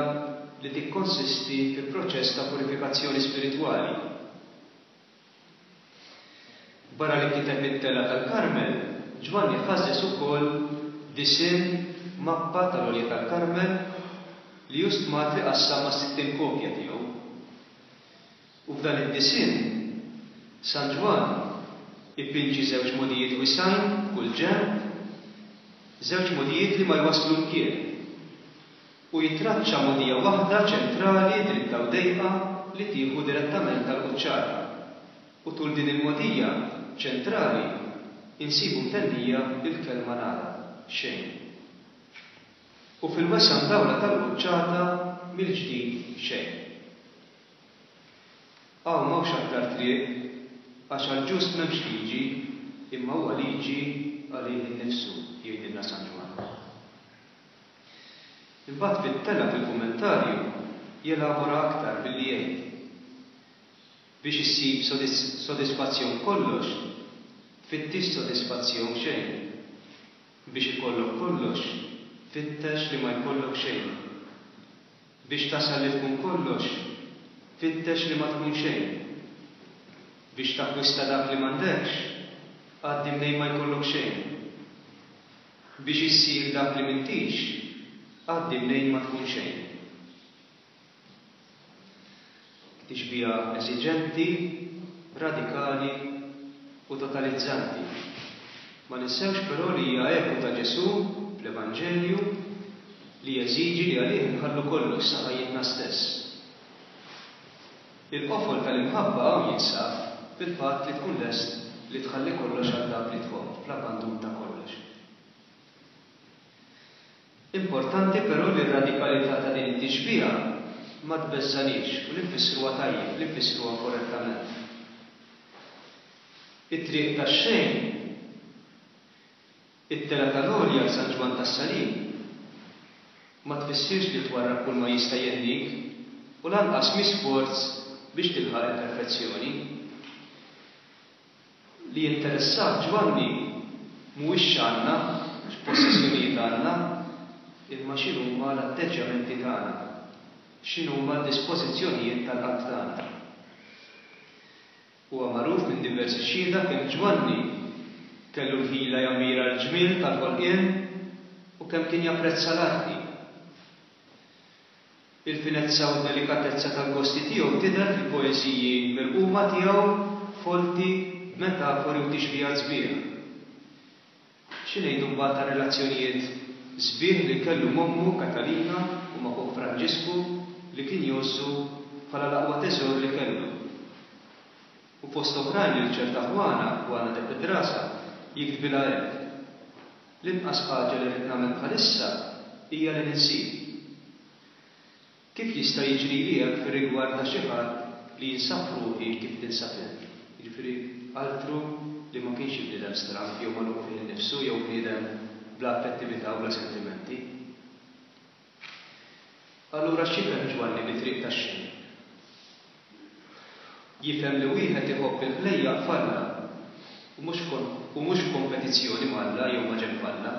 li tikkonsisti fi proċess ta' purifikazzjoni spiritwali. Barra li kiteb it-Telgħa tal-Karmel, Ġwanni ħażżeż ukoll disinn mappa tal-Għolja tal-Karmel li hu stmat li qassam mas-sittin kopja tiegħu. U f'dan id-disinn, San Ġwann ipinġi żewġ mogħdijiet wisgħin f'kull ġenb, żewġ mogħdijiet li ma jwasslu mkien, u jitraċċa mogħdija waħda ċentrali dritta u dejqa li tieħu direttament għall-quċċata. U tul din il-mogħdija ċentrali insibu mtennija l-kelma nada, xejn. U fil-wesgħa mdawla tal-quċċata mill-ġdid xejn. Hawn m'hawnx aktar triq, għax għall-ġust m'hemmx liġi, imma huwa liġi għalih innifsu, jgħidilna San Ġwann. Imbagħad fit-telgħa fil-kummentarju jelabora aktar billi jgħid, Biex issib sodisfazzjon f'kollox, tfittix sodisfazzjon f'xejn. Biex ikollok kollox, fittex li ma jkollok xejn. Biex tasal li tkun kollox, fittex li ma tkun xejn. Biex takkwista dak li m'għandekx, għaddi mnejn ma jkollok xejn. Biex issir dak li m'intix, għaddi mnejn ma tkun xejn. Tixbiha eżiġenti, radikali u totalizzanti. Ma ninsewx però li hija eku ta' Ġesù fl-Evanġelju li jeżiġi li għalih inħallu kollox sa ħajjitna stess. Il-qofol tal-imħabba hawn jinsab fil-fatt li tkun lest li tħalli kollox għal dak li tħobb, fl-abbandun ta' kollox. Importanti però li r-radikalità ta' din it-tixbiha ma tbeżżagħniex u li nfissruha tajjeb, li nfissruha korrettament. It-triq tax-xejn, it-telgħa tal-għolja għal San Ġwann tas-Salib, ma tfissirx li twarrab kull ma jista' jhennik u lanqas mhi sforz biex tilħaq il-perfezzjoni. Li jinteressah Ġwanni mhuwiex x'għandna, x'possessjonijiet għandna, imma x'inhuma l-atteġġjamenti tagħna, x'inhuma d-dispożizzjonijiet tal-qalb tagħna. Huwa magħruf minn diversi xhieda kemm Ġwanni kellu l-ħila jammira l-ġmiel tal-ħolqien u kemm kien japprezza l-arti. Il-finezza u d-delikatezza tal-gosti tiegħu tidher fil-poeżiji mirquma tiegħu folti b'metafori u tixbihat sbieħ. Xi ngħidu mbagħad tar-relazzjonijiet sbieħ li kellu m'ommu Katalina u ma' ħuh Franġisku li kien jgħożżu bħala l-aqwa teżor li kellu. U fost oħrajn lil ċerta Juana, Juana de Pedraza, jiktbilha hekk, L-inqas ħaġa li rrid nagħmel bħalissa hija li ninsik. Kif jista' jiġrili hekk fir-rigward ta' xi ħadd li jinsab f'ruħi kif tinsab int? Jiġifieri altru li ma kienx xi bniedem stramb jew magħluq fih innifsu jew bniedem bla affettività u bla sentimenti. Allura x'jifhem Ġwanni bit-triq tax-xejn? Jifhem li wieħed iħobb il-ħlejjaq f'Alla u mhux u mhux f'kompetizzjoni m'Alla jew maġenb Alla.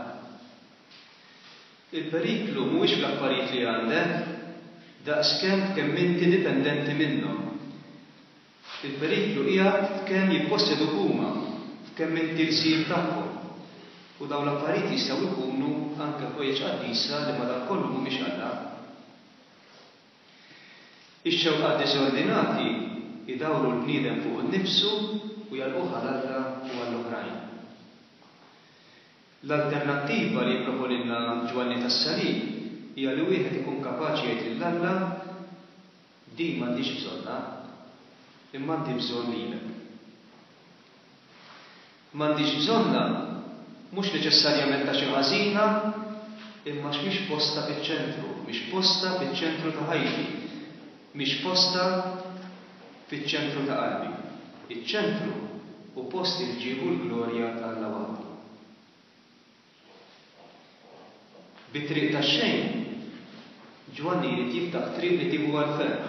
Il-periklu mhuwiex fl-affarijiet li għandek, daqskemm f'kemm inti dipendenti minnhom. Il-periklu qiegħed f'kemm jipposseduk huma, f'kemm inti lsir tagħhom. U dawn l-affarijiet jistgħu jkunu anke ħwejjeġ qaddisa li madankollu mhumiex Alla. Ix-xewqat diżordinati jdawru l-bniedem fuqu nnifsu u jagħlquh għal Alla u għall-oħrajn. L-alternattiva li jipproponilna Ġwanni tas-Salib hija li wieħed ikun kapaċi jgħid lil Alla, Din m'għandix bżonnha, imma għandi bżonn lilek. M'għandix bżonnha mhux neċessarjament għax hi ħażina, imma għax mhix postha fiċ-ċentru, mhix postha fiċ-ċentru ta' ħajti, mhix postha fiċ-ċentru ta' qalbi. Iċ-ċentru hu post il-ġieħ u l-glorja ta' Alla waħdu. Bit-triq tax-xejn, Ġwanni jrid jiftaħ triq li tieħu għall-ferħ.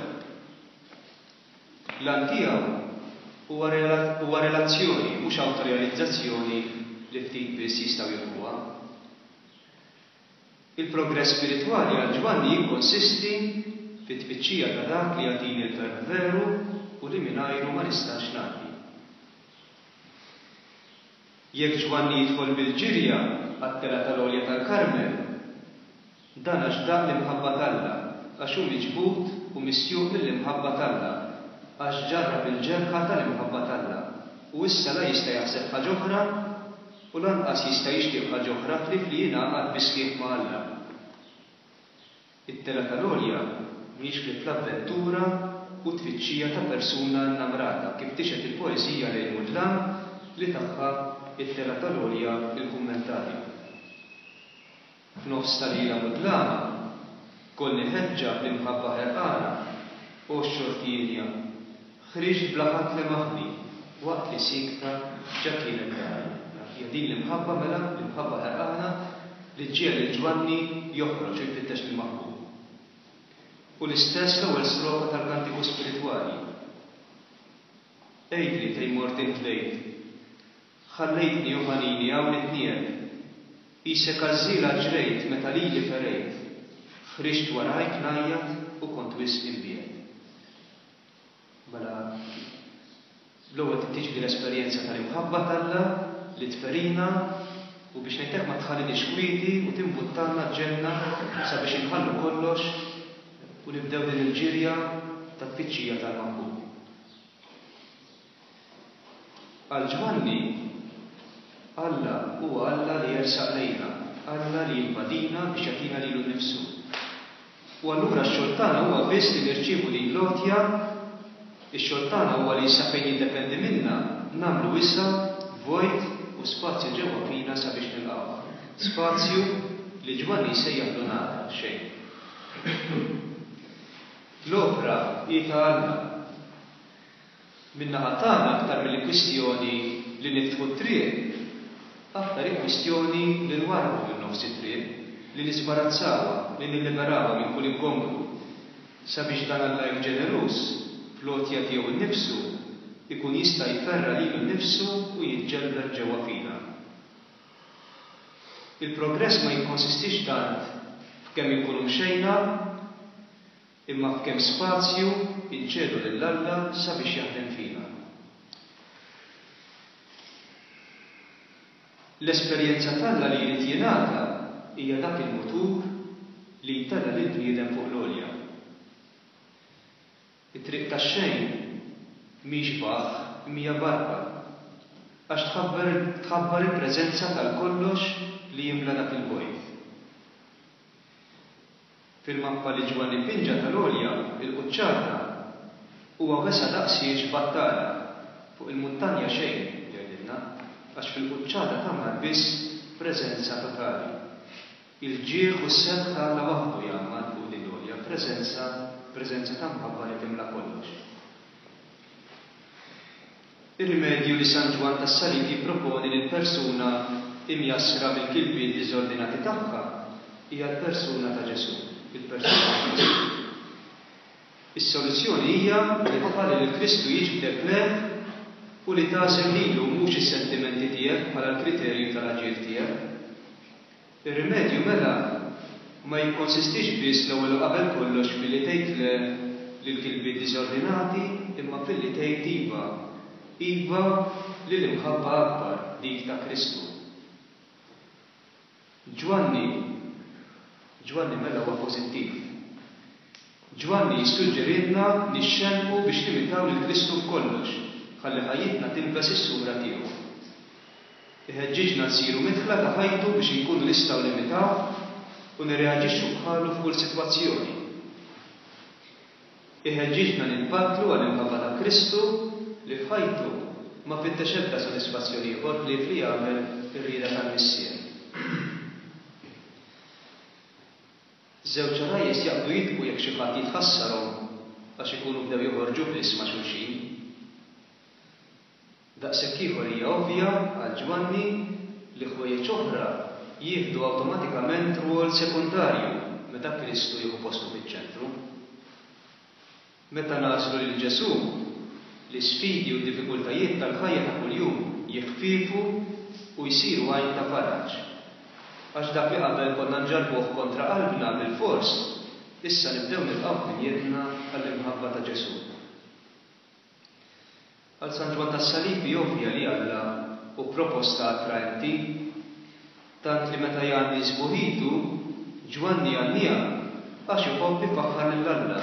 L-għan tiegħu huwa huwa relazzjoni, mhux awtorealizzazzjoni li ftit biss jistgħu jilħquha. Il-progress spiritwali għal Ġwanni jikkonsisti fit-tfittxija ta' dak li jagħtini l-ferħ veru u li mingħajru ma nistax ngħaddi. Jekk Ġwanni jidħol bil-ġirja għat-telgħa tal-għolja tal-Karmel, dan għax daq l-imħabba t'Alla, għax hu miġbud u misjuq mill-imħabba t'Alla, għax ġarrab il-ġerħa tal-imħabba t'Alla, u issa la jista' jaħseb ħaġa oħra u lanqas jista' jixtieq ħaġa oħra ħlief li jingħaqad bis-sħiħ ma' Alla. It-telgħa tal-għolja mhijiex ħlief l-avventura u t-tfittxija ta' persuna nnamrata, kif tixhed il-poeżija Lejl Mudlam li tagħha it-telgħa tal-għolja il-kummentarju. F'nofs ta' lejla mudlama, kollni ħeġġa bl-imħabba ħerqana, o x'xorti hienja, ħriġt bla ħadd lemaħni, waqt li siekta ġa kienet dari. Hija din l-imħabba mela, l-imħabba ħerqana, li ġġiegħel lil Ġwanni joħroġ u jfittex lill-maħbub. U l-istess l-ewwel strofa tal-Kantiku Spiritwali. Għidli fejn mort int lejl. Ħallejtni u ħanini hawn nitniegħed. Qisek għażżiela ġrejt meta lili ferejt. Ħriġt warajk ngħajjat u kont wisq imbiegħed. Mela, l-ewwel trid tiġi l-esperjenza tal-imħabba t'Alla li tferina u biex ngħid hekk ma tħalliniex kwieti u timbuttalna ġenna sabiex inħallu kollox u nibdew din il-ġirja ta' tfittxija tal-maħbub. Għal Ġwanni, Alla huwa Alla li jersaq lejna, Alla li jinvadina biex jagħtina lilu nnifsu. U allura x-xogħol tagħna huwa biss li nirċievu din l-għotja, ix-xogħol tagħna huwa li sa fejn jiddependi minna nagħmlu wisa', vojt u spazju ġewwa fina sabiex nilqgħuh. Spazju li Ġwanni jsejjaħlu nada, xejn. L-opra hi ta' Alla. Min-naħa tagħna aktar milli kwistjoni li niftħu t-triq, aktar hi kwistjoni li nwarrbu minn nofs it-triq, li niżbarazzawha, li nilliberawha minn kull ingombru, sabiex dan Alla hekk ġeneruż, fl-għotja tiegħu nnifsu, ikun jista' jferra' lilu nnifsu u jiġġelbeb ġewwa fina. Il-progress ma jikkonsistix tant f'kemm inkunu mxejna, imma f'kemm spazju inċedu lil Alla sabiex jaħdem fina. L-esperjenza t'Alla li jrid jingħata hija dak il-mutur li jtella' lill-bniedem fuq l-għolja. It-triq tax-xejn mhix baħħ imma hija barka, għax tħabbar tħabbar il-preżenza tal-kollox li jimla dak il-vojt. Fil-mappa li Ġwanni pinġa tal-għolja, il-quċċata, huwa wesa' daqshiex battala. Fuq il-muntanja xejn, jgħidilna, għax fil-quċċata tgħammar biss preżenza totali. Il-ġieħ u s-sebħ ta' Alla waħdu jgħammar fuq din l-għolja, preżenza, preżenza ta' mħabba li timla kollox. Ir-rimedju li San Ġwann tas-Salib jipproponi lil persuna imjassra mill-kilbiet diżordinati tagħha hija l-persuna ta' Ġesù, il-persuna ta' Kristu. Is-soluzzjoni hija li tħalli lil Kristu jiġbdek lejh u li tagħżel lilu u mhux is-sentimenti tiegħek bħala l-kriterju tal-aġir tiegħek. Ir-rimedju mela ma jikkonsistix biss l-ewwel u qabel kollox filli tgħid le lill-kilbiet diżordinati imma filli tgħid iva, iva lil imħabba akbar, dik ta' Kristu. Ġwanni Ġwanni mela huwa pożittiv. Ġwanni jissuġġerilna nixxennqu biex nimitaw lil Kristu f'kollox, ħalli ħajjitna tilbes is-sura tiegħu. Iħeġġiġna nsiru midħla ta' ħajtu biex inkunu nistgħu nimitawh u nirreaġixxu bħalu f'kull sitwazzjoni. Iħeġġiġna nitbattlu għall-imħabba ta' Kristu li f'ħajtu ma fittex ebda sodisfazzjon ieħor ħlief li jagħmel ir-rieda tal-Missier. Żewġ għarajjes jaqbdu jidħku jekk xi ħadd jitħassarhom għax ikunu bdew joħorġu biss ma' xulxin. Daqshekk ieħor hija ovvja għal Ġwanni li ħwejjeġ oħra jieħdu awtomatikament rwol sekondarju meta Kristu jieħu postu fiċ-ċentru. Meta nagħżlu lil Ġesù, l-isfidi u d-diffikultajiet tal-ħajja ta' kuljum jiħfiefu u jsiru għajn ta' faraġ. Għax dak li qabel konna nġarrbuh kontra qalbna bilfors, Issa nibdew nilqgħu minn jeddna għall-imħabba ta' Ġesù. Għal San Ġwann tas-Salib hi ovvja li Alla hu proposta attraenti, tant li meta jgħanni sbuħitu, Ġwanni jgħanniha għax iħobb ifaħħar lil Alla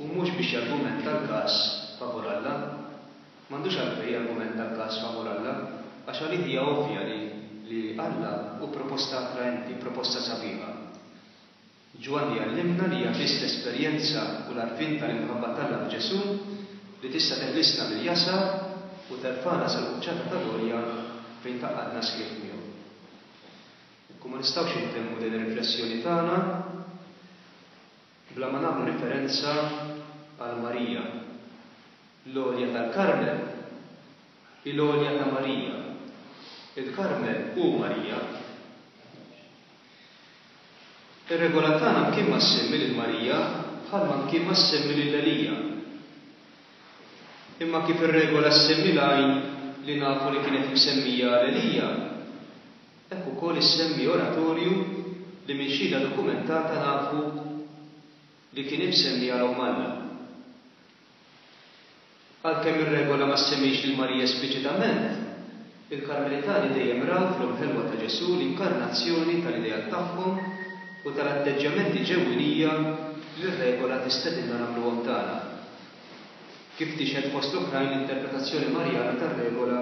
u mhux biex jargumenta l-każ favur Alla. M'għandux għalfejn jargumenta l-każ favur Alla, għax għalih hija ovvja li li Alla hu proposta attraenti, proposta sabiħa. Ġwanni jgħallimna li hija biss l-esperjenza u l-għarfien tal-imħabba t'Alla f'Ġesù li tista' teħlisna mill-jasar u terfagħna sal-quċċata tal-għolja fejn tgħaqqadna sħiħ miegħu. Ekku ma nistgħux intemmu din ir-riflessjoni tagħna bla ma nagħmlu riferenza għal Marija. L-għolja tal-Karmel hi l-għolja ta' Marija. Il-Karmel hu Marija. Ir-regola tagħna mkien ma ssemmi lil Marija bħalma mkien ma ssemmi lil Elija. Imma kif ir-regola ssemmi l-għajn li nafu li kienet msemmija għal Elija, hekk ukoll issemmi oratorju li minn xhieda dokumentata nafu li kien imsemmi għal Omm Alla. Għalkemm ir-regola ma ssemmix lil Marija espliċitament, il-Karmelitani dejjem raw fl-Omm Ħelwa ta' Ġesù l-inkarnazzjoni tal-ideat tagħhom u tal-atteġġjamenti ġewwinija li r-regola tistedinna nagħmluhom tagħna. Kif tixhed fost l-oħrajn l-interpretazzjoni Marjana tar-regola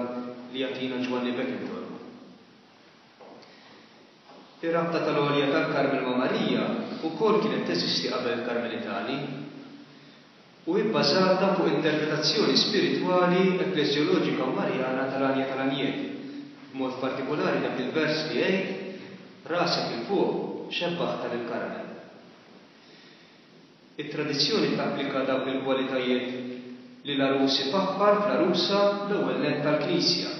li jagħtina Ġwanni Beckintor. Ir-rabta tal-għolja tal-Karmel ma' Marija wkoll kienet teżisti qabel il-Karmelitani u hi bbażata fuq interpretazzjoni spiritwali, ekkleżjoloġika u Marjana tal-Għanja tal-Għanjiet, b'mod partikulari dak il-vers li jgħid, Rasek 'il fuq xebbaħtha lill-Karmel. It-tradizzjoni tapplika dawk il-kwalitajiet li l-għarus ifaħħar fl-għarusa l-ewwel nett tal-Knisja.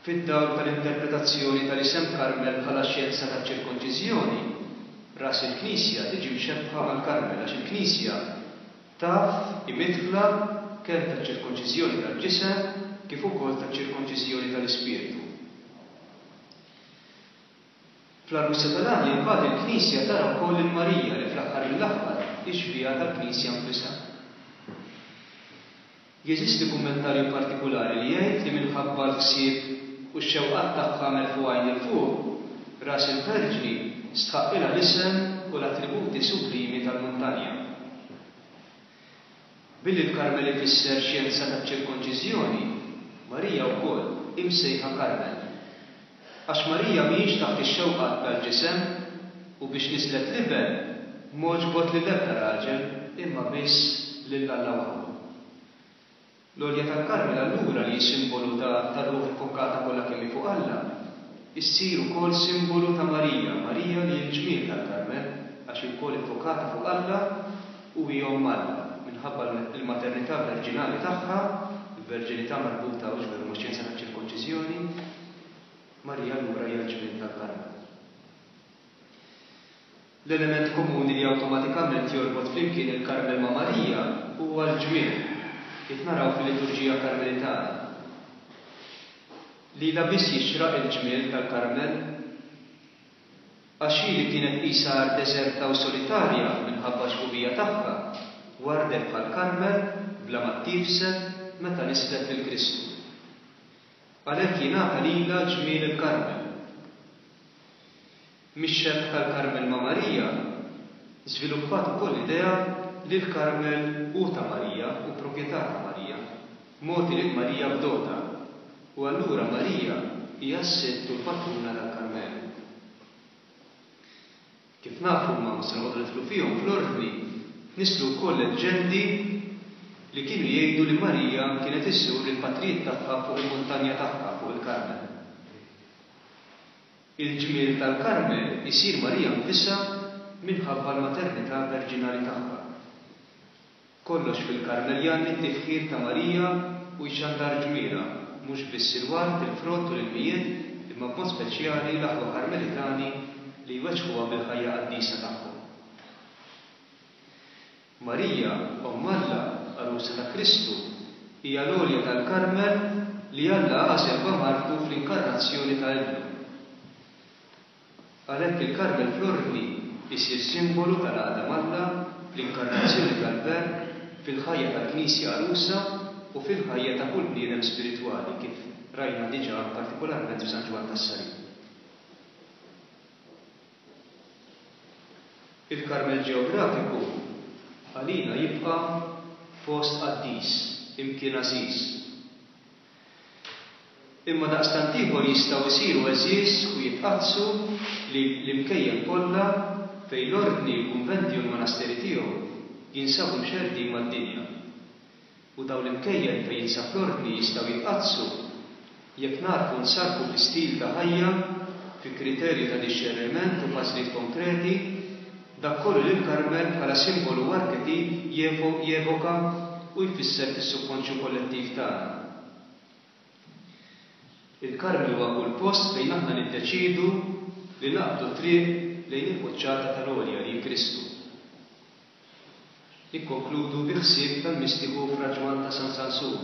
Fid-dawl tal-interpretazzjoni tal-isem Karmel bħala xjenza taċ-ċirkonċiżjoni, ras il-Knisja tiġi mxebbħa mal-Karmel għax il-Knisja taf hi midħla kemm taċ-ċirkonċiżjoni tal-ġisem kif ukoll taċ-ċirkonċiżjoni tal-ispirtu. Fl-għarusa tal-għanja imbagħad il-Knisja tara wkoll lil Marija li fl-aħħar mill-aħħar hi xbieha tal-Knisja nfisha. Jeżisti kummentarju partikulari li jgħid li minħabba l-ħsieb u x-xewqat tagħha merfugħin 'il fuq, ras il-Verġni stħaqqilha l-isem u l-attributi sublimi tal-muntanja. Billi l-Karmel ifisser xjenza taċ-ċirkonċiżjoni, Marija wkoll hi msejħa Karmel. Għax Marija mhijiex taħt ix-xewqat tal-ġisem u biex nislet l-Iben m'għoġbot lil ebda raġel imma biss lil Alla waħdu. L-għolja tal-Karmel allura li hi simbolu ta' tar-ruħ iffokata kollha kemm hi fuq Alla, issir ukoll simbolu ta' Marija, Marija li hi l-ġmiel tal-Karmel għax hi wkoll iffokata fuq Alla u hi Omm Alla minħabba l-maternità verġinali tagħha, il-verġinità marbuta hux veru max-xjenza taċ-ċirkonċiżjoni, Marija allura hija l-ġmiel tal-Karmel. L-element komuni li awtomatikament jorbot flimkien il-Karmel ma' Marija huwa l-ġmiel, kif naraw fil-liturġija Karmelitana. Lilha biss jixraq il-ġmiel tal-Karmel, għax hi li kienet qisha art deżerta u solitarja minħabba x-xbubija tagħha, wardet bħall-Karmel bla ma ttiefset meta nislet lil Kristu. Għalhekk jingħata lilha ġmiel il-Karmel. Mix-xebh tal-Karmel ma' Marija, żviluppat ukoll l-idea li l-Karmel hu ta' Marija, hu proprjetà ta' Marija, mogħti lil Marija b'dota, u allura Marija hija s-sidt u l-patruna tal-Karmelu. Kif nafu, imma mhux se noqogħdu nidħlu fihom fl-ordni, tnisslu wkoll leġġendi li kienu jgħidu li Marija kienet iżżur lill-patrijiet tagħha fuq il-muntanja tagħha, fuq il-Karmel. Il-ġmiel tal-Karmel isir Marija nfisha minħabba l-maternità verġinali tagħha. Kollox fil-Karmel jgħanni t-tifħir ta' Marija u jxandar ġmielha, mhux biss il-ward, il-frott u l-ilmijiet, imma b'mod speċjali l-aħwa Karmelitani li jweġġħuha bil-ħajja qaddisa tagħhom. Marija, Omm Alla, għarusa ta' Kristu, hija l-għolja tal-Karmel li Alla għażel b'għamartu fl-inkarnazzjoni ta' Ibnu. Għalhekk il-Karmel fl-Ordni isir simbolu tal-għaqda m'Alla fl-inkarnazzjoni tal-Verb fil-ħajja tal-Knisja għarusa u fil-ħajja ta' kull bniedem spiritwali, kif rajna diġà partikolarment f'San Ġwann tas-Salib. Il-Karmel ġeografiku għalina jibqa' post qaddis, imkien għażiż. Imma daqstant ieħor jistgħu jsiru għeżież u jitqaddsu l-imkejjen kollha fejn l-Ordni, il-kunventi u l-monasteri tiegħu jinsabu mxerrdin mad-dinja. U dawn l-imkejjen fejn jinsab l-Ordni jistgħu jitqaddsu jekk nagħrfu nsarrfu fi stil ta' ħajja, fi kriterju ta' dixxerniment u f'għażliet konkreti, dak kollu li l-Karmel bħala simbolu u arketip jevoka u jfisser fis-subkonxju kollettiv tagħna. Il-Karmel huwa kull post fejn aħna niddeċiedu li naqbdu t-triq lejn il-quċċata tal-għolja li hi Kristu. Nikkonkludu bi ħsieb tal-mistiku Fra Ġwann ta' San Sansun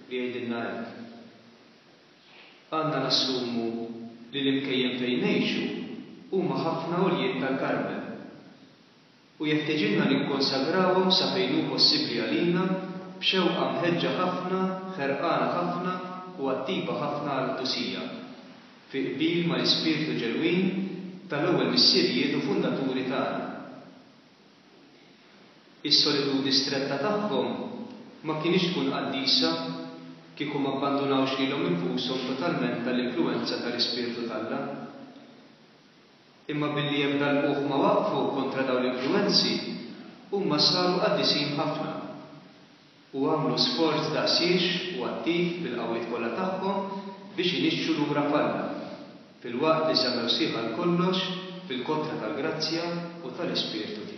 li jgħidilna hekk, Għandna nassumu li l-imkejjen fejn ngħixu huma ħafna għoljiet tal-Karmel u jeħtiġilna nikkonsagrawhom sa fejn hu possibbli għalina b'xewqa mħeġġa ħafna, ħerqana ħafna u attiva ħafna għall-qdusija, fi qbil mal-ispirtu ġenwin tal-ewwel missirijiet u fundaturi tagħna. Is-solitudni stretta tagħhom ma kinitx tkun qaddisa kieku ma abbandunawx lilhom infushom totalment għall-influwenza tal-Ispirtu t'Alla. Imma billi ebda lqugħ ma waqfu kontra dawn l-influwenzi, huma saru qaddisin ħafna u għamlu sforz daqsiex u attiv bil-qawwiet kollha tagħhom biex inixxu lura f'Alla, filwaqt li żammew sħiħ għal kollox fil-kotra tal-grazzja u tal-Ispirtu tiegħu.